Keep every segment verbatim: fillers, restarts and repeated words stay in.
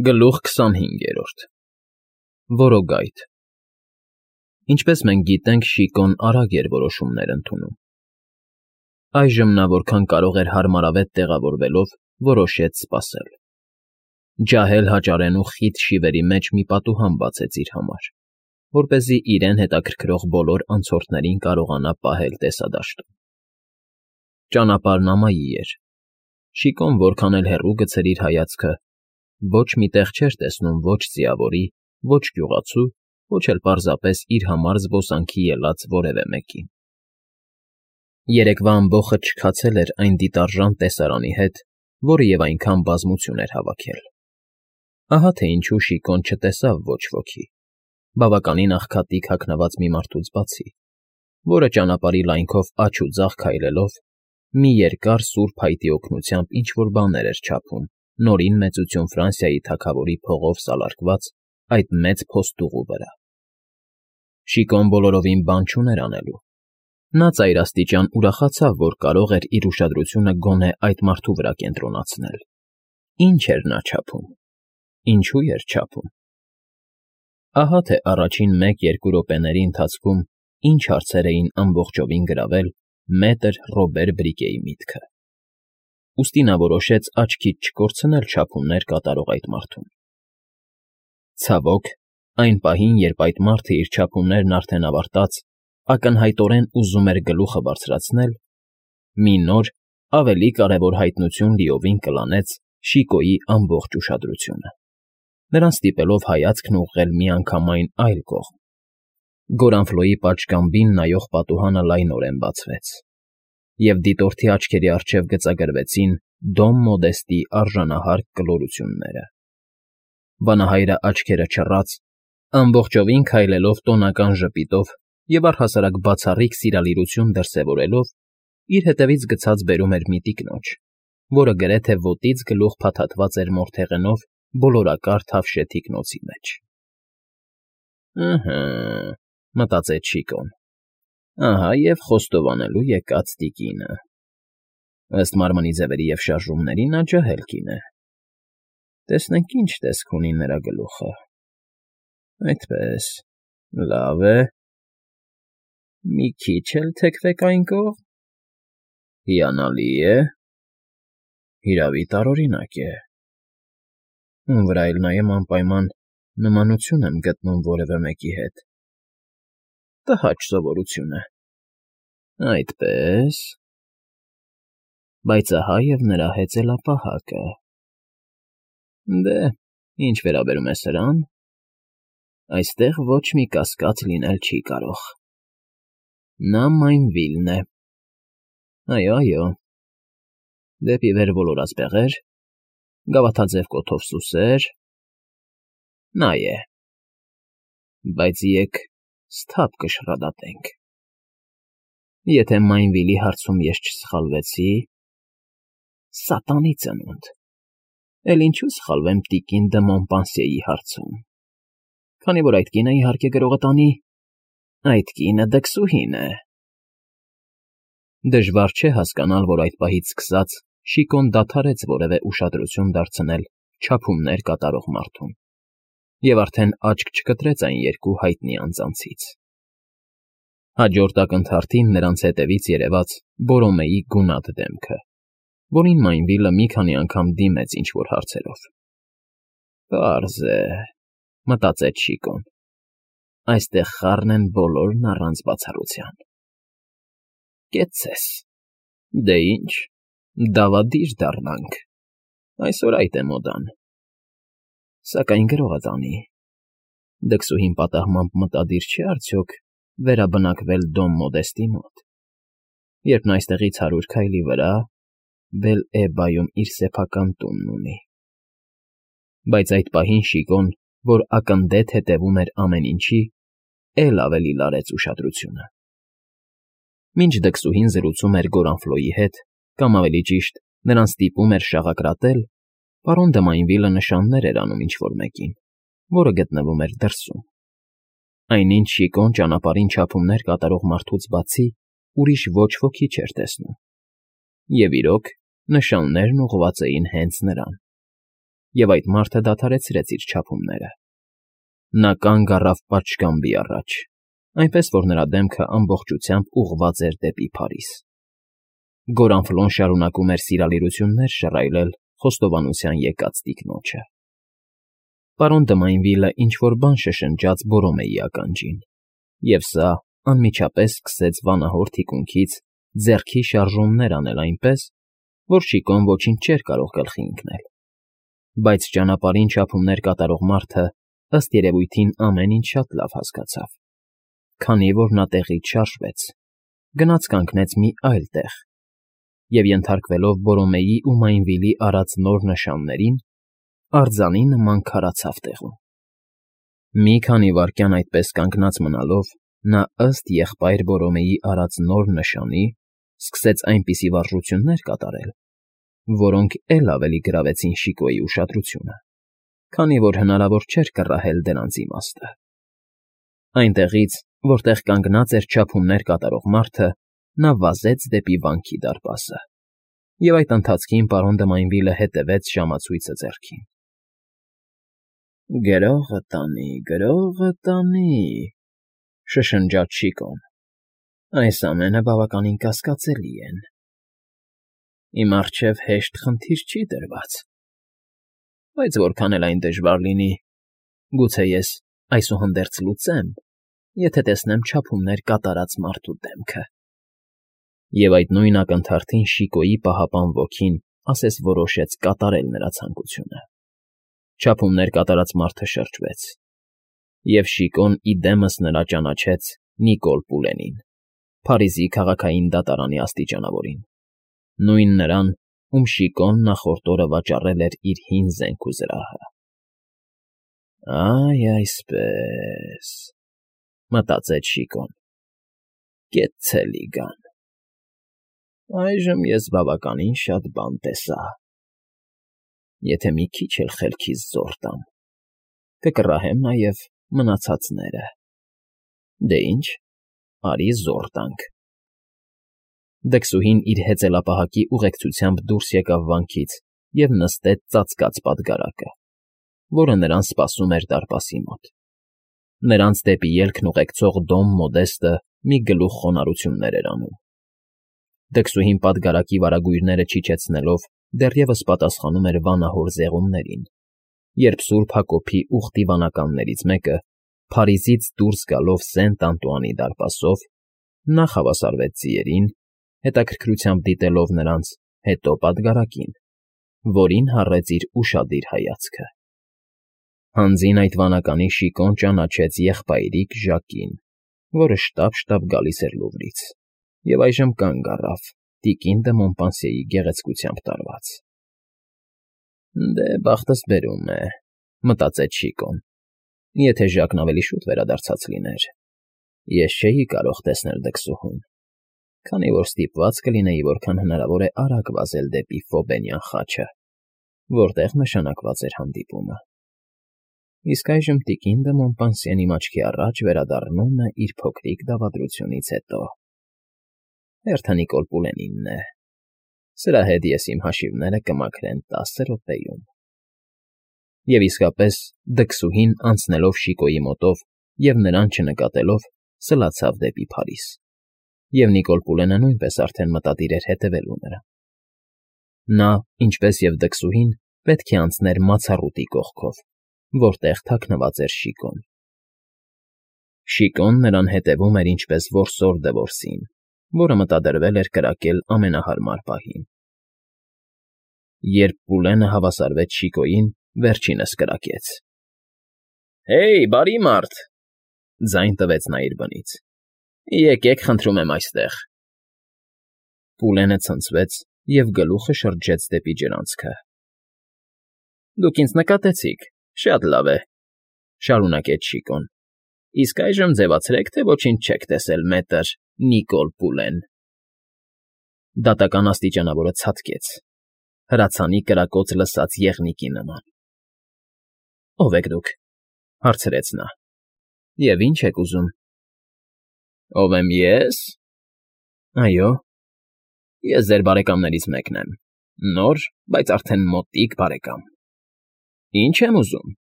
Գլուխ քսանհինգերորդ Որոգայթ Ինչպես մենք գիտենք, Շիկոն արագ էր որոշումներ ընդունում։ Այժմ նա որքան կարող էր հարմարավետ տեղավորվելով որոշեց սպասել։ Ջահել հաճարենու խիտ շիվերի մեջ մի պատուհան բացեց իր համար, որպեսզի իրեն հետաքրքրող բոլոր անցորդներին կարողանա պահել տեսադաշտում։ Ճանապարհն ամայի էր։ Շիկոն որքան էլ հեռու գցեր իր հայացքը, ոչ մի տեղ չէր տեսնում ոչ ձիավորի, ոչ գյուղացու, ոչ էլ պարզապես իր համար զբոսանքի ելած որևէ մեկին։ Երեկվա ամբոխը չքացել էր այն դիտարժան տեսարանի հետ, որը և այնքան բազմություն էր հավաքել։ Ահա թե ինչու Շիկոն չտեսավ ոչ ոքի, բավականին աղքատիկ հագնված մի մարդուց բացի, որը ճանապարհի լայնքով աջ ու ձախ քայլելով, մի երկար սուր փայտի օգնությամբ ինչ֊որ բաներ էր չափում Նորին Մեծություն Ֆրանսիայի թագավորի փողով սալարկված այդ մեծ փոստուղու վրա։ Շիկոն բոլորովին բան չուներ անելու։ Նա ծայրաստիճան ուրախացավ, որ կարող էր իր ուշադրությունը գոնե այդ մարդու վրա կենտրոնացնել։ Ինչ էր նա չափում, ինչու էր չափում։ Ահա թե առաջին մեկ֊երկու րոպեների ընթացքում ինչ հարցեր էին ամբողջովին գրավել մետր Ռոբեր Բրիկեի միտքը։ Ուստի նա որոշեց աչքից չկորցնել չափումներ կատարող այդ մարդուն։ Ցավոք, այն պահին, երբ այդ մարդը իր չափումներն արդեն ավարտած, ակնհայտորեն ուզում էր գլուխը բարձրացնել, մի նոր, ավելի կարևոր հայտնություն լիովին կլանեց Շիկոյի ամբողջ ուշադրությունը, նրան ստիպելով հայացքն ուղղել միանգամայն այլ կողմ։ Գորանֆլոյի պատշգամբին նայող պատուհանը լայնորեն բացվեց, և դիտորդի աչքերի առջև գծագրվեցին Դոմ Մոդեստի արժանահարկ կլորությունները։ Վանահայրը աչքերը չռած, ամբողջովին քայլելով տոնական ժպիտով և առհասարակ բացառիկ սիրալիրություն դրսևորելով, իր հետևից գցած բերում էր մի տիկնոջ, որը գրեթե ոտից գլուխ փաթաթված էր մորթեղենով բոլորակար թավշյա թիկնոցի մեջ։ «Ըհը,֊ մտածեց Շիկոն,֊ ահա և խոստովանելու եկած տիկինը։ Ըստ մարմնի ձևերի և շարժումների նա ջահել կին է։ Տեսնենք ինչ տեսք ունի նրա գլուխը։ Այդպես, լավ է։ Մի քիչ էլ թեքվեք այն կողմ։ Հիանալի է։ Հիրավի տարօրինակ է։ Ում վրա էլ նայեմ անպայման նմանություն եմ գտնում որևէ մեկի հետ։ Տհաճ սովորություն է։ Այդպես… Բայց ահա և նրա հեծելապահակը։ Դե, ինչ վերաբերում է սրան, այստեղ ոչ մի կասկած լինել չի կարող։ Նա Մայնվիլն է։ Այո, այո, դեպի վեր ոլորած բեղեր, գավաթաձև կոթով սուսեր… Նա է։ Բայց եկ սթափ կշռադատենք։ Եթե Մայնվիլի հարցում ես չսխալվեցի… Սատանի ծնունդ… Էլ ինչու սխալվեմ տիկին դը Մոմպանսիեի հարցում, քանի որ այդ կինը, իհարկե, գրողը տանի… Այդ կինը դքսուհին է։ Դժվար չէ հասկանալ, որ այդ պահից սկսած Շիկոն դադարեց որևէ ուշադրություն դարձնել չափումներ կատարող մարդուն և արդեն աչք չկտրեց այն երկու հայտնի անձանցից։ Հաջորդ ակնթարթին նրանց հետևից երևաց Բորոմեի գունատ դեմքը, որին Մայնվիլը մի քանի անգամ դիմեց ինչ֊որ հարցերով։ Պարզ է, մտածեց Շիկոն, այստեղ խառն են բոլորն առանց բացառության։ Կեցցես… Դե ինչ, դավադիր դառնանք, այսօր այդ է մոդան։ Սակայն գրողը տանի… Դքսուհին պատահմամբ մտադիր չէ՞ արդյոք վերաբնակվել Դոմ Մոդեստի մոտ, երբ նա այստեղից հարյուր քայլի վրա Բել֊Էբայում իր սեփական տունն ունի։ Բայց այդ պահին Շիկոն, որ ակննդետ հետևում էր ամեն ինչի, էլ ավելի լարեց ուշադրությունը։ Մինչ դքսուհին զրուցում էր Գորանֆլոյի հետ, կամ ավելի ճիշտ, նրան ստիպում էր շաղակրատել, պարոն դը Մայնվիլը նշաններ էր անում ինչ֊որ մեկին, որը գտնվում էր դրսում։ Այնինչ Շիկոն ճանապարհին չափումներ կատարող մարդուց բացի ուրիշ ոչ ոքի չէր տեսնում։ Եվ իրոք, նշաններն ուղղված էին հենց նրան։ և այդ մարդը դադարեցրեց իր չափումները. նա կանգ առավ պատշգամբի առաջ, այնպես որ նրա դեմքը ամբողջությամբ ուղղված էր դեպի Փարիզ. Գորանֆլոն շարունակում էր սիրալիրություններ շռայլել խոստովանության եկած տիկնոջը։ Պարոն Դմայնվիլը ինչ֊որ բան շշնջաց Բորոմեի ականջին, և սա անմիջապես սկսեց վանահոր թիկունքից ձեռքի շարժումներ անել այնպես, որ Շիկոն ոչինչ չէր կարող գլխի ընկնել, բայց ճանապարհին չափումներ կատարող մարդը, ըստ երևույթին, ամեն ինչ շատ լավ հասկացավ, քանի որ նա տեղից շարժվեց, գնաց կանգնեց մի այլ տեղ և, ենթարկվելով Բորոմեի ու Մայնվիլի արած նոր նշաններին, արձանի նման քարացավ տեղում։ Մի քանի վայրկյան այդպես կանգնած մնալով, նա, ըստ եղբայր Բորոմեի արած նոր նշանի, սկսեց այնպիսի վարժություններ կատարել, որոնք էլ ավելի գրավեցին Շիկոյի ուշադրությունը, քանի որ հնարավոր չէր կռահել դրանց իմաստը։ Այնտեղից, որտեղ կանգնած էր չափումներ կատարող մարդը, նա վազեց դեպի վանքի դարպասը, և այդ ընթացքին պարոն Դմայնվիլը հետևեց ժամացույցը ձեռքին։ «Գրողը տանի, գրողը տանի,֊ շշնջաց Շիկոն,֊ այս ամենը բավականին կասկածելի են… Իմ առջև հեշտ խնդիր չի դրված, բայց որքան էլ այն դժվար լինի, գուցե ես այսուհանդերձ լուծեմ, եթե տեսնեմ չափումներ կատարած մարդու դեմքը…» Եվ այդ նույն ակնթարթին Շիկոյի պահապան ոգին ասես որոշեց կատարել նրա ցանկությունը։ Չափումներ կատարած մարդը շրջվեց, և Շիկոն ի դեմս նրա ճանաչեց Նիկոլ Պուլենին, Փարիզի քաղաքային դատարանի աստիճանավորին, նույն նրան, ում Շիկոն նախորդ օրը վաճառել էր իր հին զենք ու զրահը։ «Այ այսպես,֊ մտածեց Շիկոն,֊ կեցցելի գան… Այժմ ես բավականին շատ բան տեսա… Եթե մի քիչ էլ խելքիս զոր տամ, կկռահեմ նաև մնացածները… Դե ինչ, արի զոր տանք…» Դքսուհին իր հեծելապահակի ուղեկցությամբ դուրս եկավ վանքից և նստեց ծածկած պատգարակը, որը նրան սպասում էր դարպասի մոտ։ Նրանց դեպի ելքն ուղեկցող Դոն Մոդեստը մի գլուխ խոնարհություններ էր անում։ Դքսուհին պատգարակի վարագույրները չիջեցնելով դեռևս պատասխանում էր վանահոր զեղումներին, երբ Սուրբ Հակոբի ուխտի վանականներից մեկը, Փարիզից դուրս գալով Սենտ Անտուանի դարպասով, նախ հավասարվեց ձիերին, հետաքրքրությամբ դիտելով նրանց, հետո պատգարակին, որին հառեց իր ուշադիր հայացքը։ Հանձին այդ վանականի Շիկոն ճանաչեց եղբայրիկ Ժակին, որը շտապ֊շտապ գալիս էր Լուվրից, և այժմ կանգ առավ, տիկին դը Մոնպանսիեի գեղեցկությամբ տարված։ «Դե, բախտս բերում է,֊ մտածեց Շիկոն,֊ եթե Ժակն ավելի շուտ վերադարձած լիներ, ես չէի կարող տեսնել դքսուհուն, քանի որ ստիպված կլինեի որքան հնարավոր է արագ վազել դեպի Ֆոբենյան խաչը, որտեղ նշանակված էր հանդիպումը… Իսկ այժմ տիկին դը Մոնպանսիեն իմ աչքի առաջ վերադառնում է իր փոքրիկ դավադրությունից հետո… Հերթը Նիկոլ Պուլենինն է… Սրա հետ ես իմ հաշիվները կմաքրեմ տասը րոպեում…» Եվ իսկապես, դքսուհին, անցնելով Շիկոյի մոտով և նրան չնկատելով, սլացավ դեպի Փարիզ, և Նիկոլ Պուլենը նույնպես արդեն մտադիր էր հետևելու նրան։ Նա, ինչպես և դքսուհին, պետք է անցներ մացառուտի կողքով, որտեղ թաքնված էր Շիկոն։ Շիկոն նրան հետևում էր ինչպես որսոր դվորսին, որը մտադրվել էր կրակել ամենահարմար պահին։ Երբ Պուլենը հավասարվեց Շիկոյին, վերջինս կրակեց. «Հեյ, բարի մարդ,֊ ձայն տվեց նա իր բնից,֊ եկեք, խնդրում եմ, այստեղ…» Պուլենը ցնցվեց և գլուխը շրջեց դեպի ջրանցքը։ «Դուք ինձ նկատեցիք, շատ լավ է,֊ շարունակեց Շիկոն,֊ իսկ այժմ ձևացրեք, թե ոչինչ չեք տեսել, մետր Նիկոլ Պուլեն…» Դատական աստիճանավորը ցատկեց, հրացանի կրակոց լսած եղնիկի նման։ «Ո՞վ եք դուք,֊ հարցրեց նա,֊ և ի՞նչ եք ուզում»։ «Ո՞վ եմ ես… Այո, ես ձեր բարեկամներից մեկն եմ, նոր, բայց արդեն մոտիկ բարեկամ։ Ինչ եմ ուզում։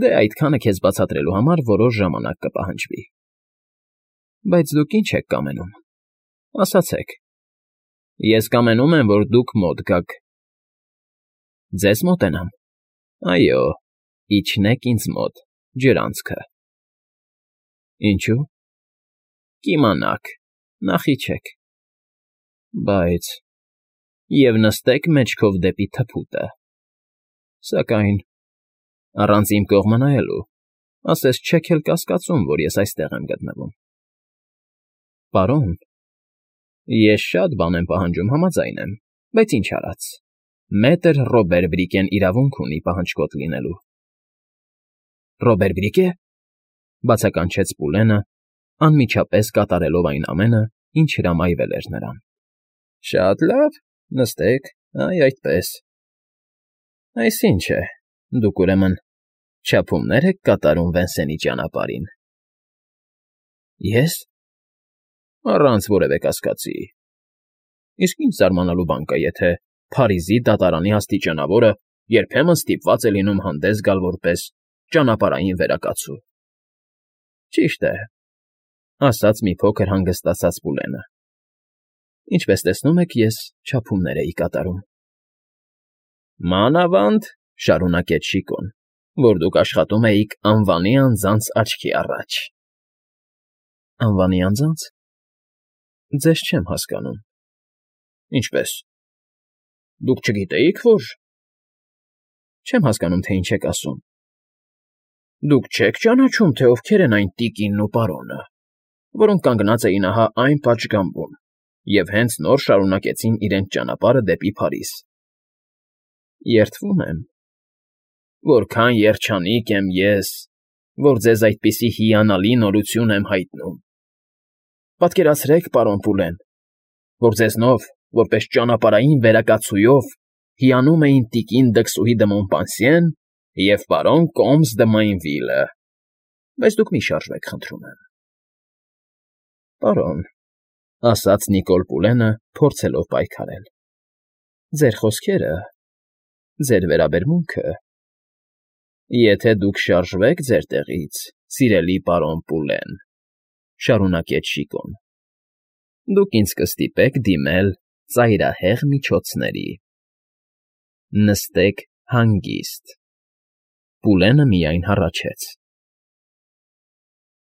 Դե այդքանը քեզ բացատրելու համար որոշ ժամանակ կպահանջվի։ Բայց դուք ինչ եք կամենում, ասացեք։ Ես կամենում եմ, որ դուք մոտ գաք։ Ձեզ մոտենամ։ Այո, իջնեք ինձ մոտ, ջրանցքը։ Ինչու՞։ Կիմանաք, նախ իջեք։ Բայց… Եվ նստեք մեջքով դեպի թփուտը։ Սակայն… Առանց իմ կողմը նայելու, ասես չեք էլ կասկածում, որ ես այստեղ եմ գտնվում։ Պարոն… Ես շատ բան եմ պահանջում, համաձայն եմ, բայց ինչ արած, մետր Ռոբեր Բրիկեն իրավունք ունի պահանջկոտ լինելու։ Ռոբեր Բրիկե՞… բացականչեց Պուլենը, անմիջապես կատարելով այն ամենը, ինչ հրամայվել էր նրան։ Շատ լավ, նստեք, այ այդպես։ Այսինչ է, դուք, ուրեմն, չափումներ եք կատարում Վենսենի ճանապարհին։ Ե՞ս… Առանց որևէ կասկածի։ Իսկ ինչ զարմանալու բան կա, եթե Փարիզի դատարանի աստիճանավորը երբեմն ստիպված է լինում հանդես գալ որպես ճանապարհային վերակացու։ Ճիշտ է, ասաց մի փոքր հանգստացած Պուլենը։ Ինչպես տեսնում եք, ես չափումներ էի կատարում։ Մանավանդ, շարունակեց Շիկոն, որ դուք աշխատում էիք անվանի անձանց աչքի առաջ։ Անվանի անձա՞նց… Ձեզ չեմ հասկանում։ Ինչպե՞ս… Դուք չգիտեիք, որ… Չեմ հասկանում, թե ինչ եք ասում։ Դուք չեք ճանաչում, թե ովքեր են այն տիկինն ու պարոնը, որոնք կանգնած էին ահա այն պատշգամբում և հենց նոր շարունակեցին իրենց ճանապարհը դեպի Փարիզ։ Երդվում եմ… Որքան երջանիկ եմ ես, որ ձեզ այդպիսի հիանալի նորություն եմ հայտնում։ Պատկերացրեք, պարոն Պուլեն, որ ձեզնով, որպես ճանապարհային վերակացուով, հիանում էին տիկին Դքսուհի դը Մոնպանսիեն և պարոն Կոմս դը Մեյնվիլը, բայց դուք մի շարժվեք, խնդրում եմ։ Պարոն, ասաց Նիկոլ Պուլենը, փորձելով պայքարել, ձեր խոսքերը, ձեր վերաբերմունքը… Եթե դուք շարժվեք ձեր տեղից, սիրելի պարոն Պուլեն, շարունակեց Շիկոն, դուք ինձ կստիպեք դիմել ծայրահեղ միջոցների։ Նստեք հանգիստ։ Պուլենը միայն հառաչեց։